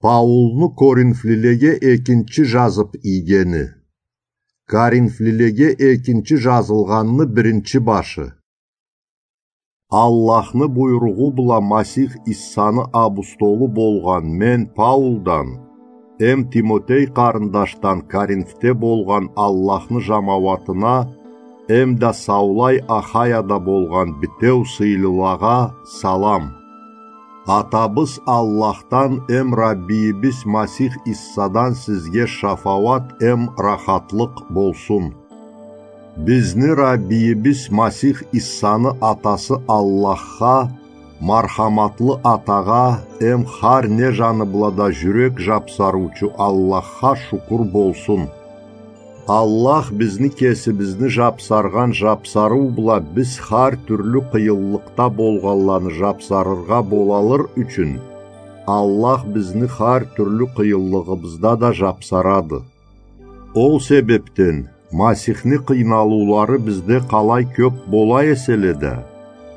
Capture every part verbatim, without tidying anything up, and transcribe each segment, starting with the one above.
Паулну коринфлилеге экинчи жазып ийгени. Коринфлилеге экинчи жазылгъанны биринчи башы. Аллахны буйругъу бла Масих Иссаны абустолу болгъан мен Паулдан, эм Тимотей къарындашдан Коринфде болгъан Аллахны жамауатына, эм да саулай Ахаяда болгъан битеу сыйлылагъа салам. Атабыз Аллахдан эм Раббийибиз Масих Иссадан сизге шафауат эм рахатлыкъ болсун. Бизни Раббийибиз Масих Иссаны Атасы Аллахха, мархаматлы Атагъа эм хар не жаны бла да жюрек жапсарыучу Аллахха шукур болсун. Аллах бизни кесибизни жапсаргъан жапсарыу бла биз хар тюрлю къыйынлыкъда болгъанланы жапсарыргъа болалыр ючюн, Аллах бизни хар тюрлю къыйынлыгъыбызда да жапсарады. Ол себепден Масихни къыйналыулары бизде къалай кёп бола эселе да,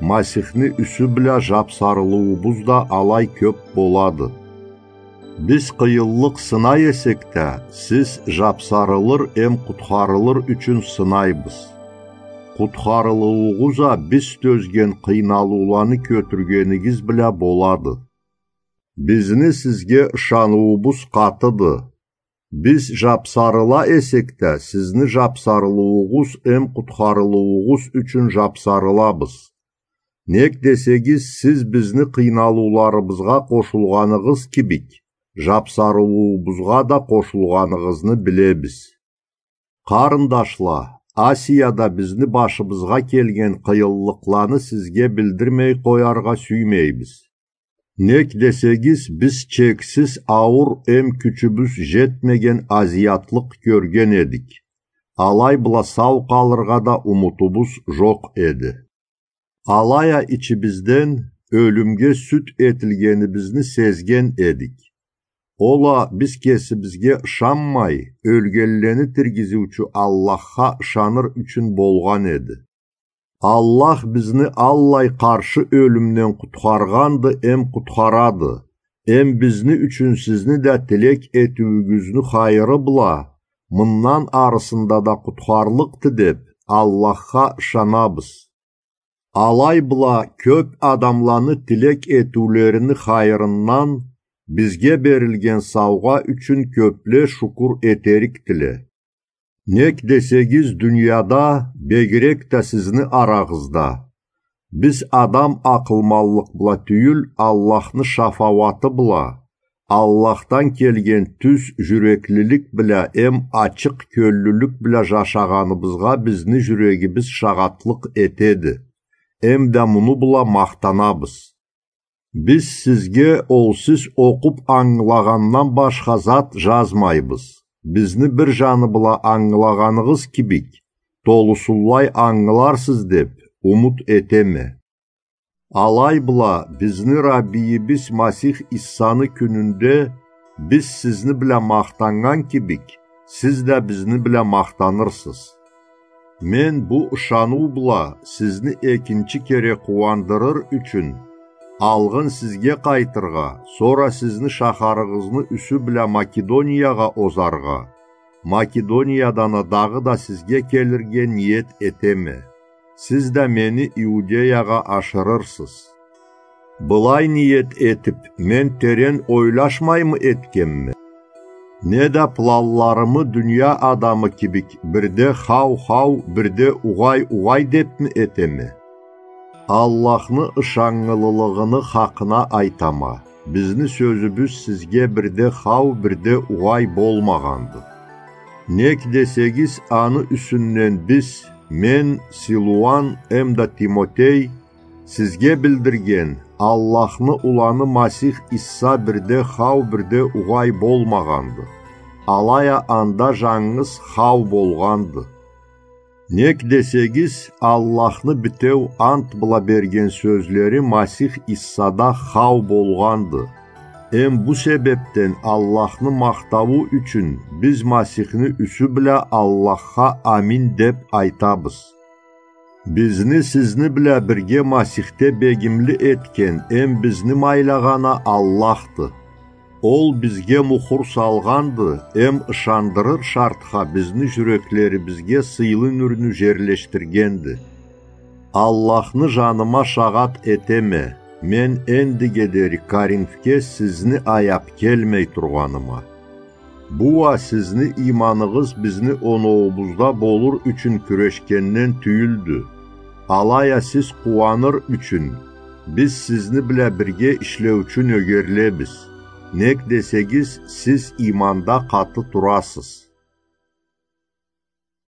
Масихни юсю бла жапсарылыуубуз да алай кёп болады. Биз къыйынлыкъ сынай эсек да, сиз жапсарылыр эм къутхарылыр ючюн сынайбыз. Къутхарылыуугъуз а биз тёзген къыйналыуланы кётюргенигиз бла болады. Бизни сизге ышаныуубуз къатыды. Биз жапсарыла эсек да, сизни жапсарылыуугъуз эм къутхарылыуугъуз ючюн жапсарылабыз. Нек десегиз, сиз бизни къыйналыуларыбызгъа къошулгъаныгъыз кибик, жапсарылыуубузгъа да къошулгъаныгъызны билебиз. Къарындашла, Асияда бизни башыбызгъа келген къыйынлыкъланы сизге билдирмей къояргъа сюймейбиз. Нек десегиз, биз чексиз ауур эм кючюбюз жетмеген азиятлыкъ кёрген эдик. Алай бла сау къалыргъа да умутубуз жокъ эди. Алай а ичибизден ёлюмге сюд этилгенибизни сезген эдик. Ол а биз кесибизге ышанмай, ёлгенлени тиргизиучю Аллахха ышаныр ючюн болгъан эди. Аллах бизни аллай къаршы ёлюмден къутхаргъанды эм къутхарады, эм бизни ючюн сизни да тилек этиуюгюзню хайыры бла, мындан арысында да къутхарлыкъды деп, Аллахха ышанабыз. Алай бла кёп адамланы тилек этиулерини хайырындан бизге берилген саугъа ючюн кёпле шукур этерикдиле. Нек десегиз, дунияда, бегирек да сизни арагъызда, биз адам акъылманлыкъ бла тюйюл, Аллахны шафауаты бла, Аллахдан келген тюз жюреклилик бла эм ачыкъ кёллюлюк бла жашагъаныбызгъа бизни жюрегибиз шагъатлыкъ этеди, эм да муну бла махтанабыз. Биз сизге ол сиз окъуп ангылагъандан башха зат жазмайбыз. Бизни бир жаны бла ангылагъаныгъыз кибик, толусунлай ангыларсыз деп умут этеме. Алай бла бизни Раббийибиз Масих Иссаны кюнюнде биз сизни бла махтаннган кибик, сиз да бизни бла махтанырсыз. Мен бу ышаныу бла сизни экинчи кере къууандырыр ючюн, алгъын сизге къайтыргъа, сора сизни шахарыгъызны юсю бла Македониягъа озаргъа, Македониядан а дагъыда сизге келирге ниет этеме. Сиз да мени Иудеягъа ашырырсыз. Былай ниет этип, мен терен ойлашмаймы этгенме? Неда планларымы дуния адамы кибик бирде хау-хау, бирде угъай-угъай депми этеме? Аллахны ышаннгылылыгъыны хакъына айтама, бизни сёзюбюз сизге бирде хау, бирде угъай болмагъанды. Нек десегиз, аны юсюнден биз, мен, Силуан эмда Тимотей, сизге билдирген Аллахны Уланы Масих Иса бирде хау, бирде угъай болмагъанды. Алай а анда жангыз хау болгъанды. Нек десегиз, Аллахны битеу ант бла берген сёзлери Масих Исада хау болгъанды. Эм бу себепден Аллахны махтауу ючюн биз Масихни юсю бла Аллахха амин деп айтабыз. Бизни сизни бла бирге Масихде бегимли этген эм бизни майлагъан а Аллахды. Ол бизге мухур салгъанды, эм ышандырыр шартха бизни жюреклерибизге сыйлы нюрню жерлешдиргенди. Аллахны жаныма шагъат этеме, мен эндиге дери Коринфге сизни аяп келмей тургъаныма. Бу уа сизни ийманыгъыз бизни оноуубузда болур ючюн кюрешгенден тюйюлдю. Алай а сиз къууаныр ючюн, биз сизни бла бирге ишлеучю нёгерлебиз. Нек десегиз, сиз ийманда къаты турасыз.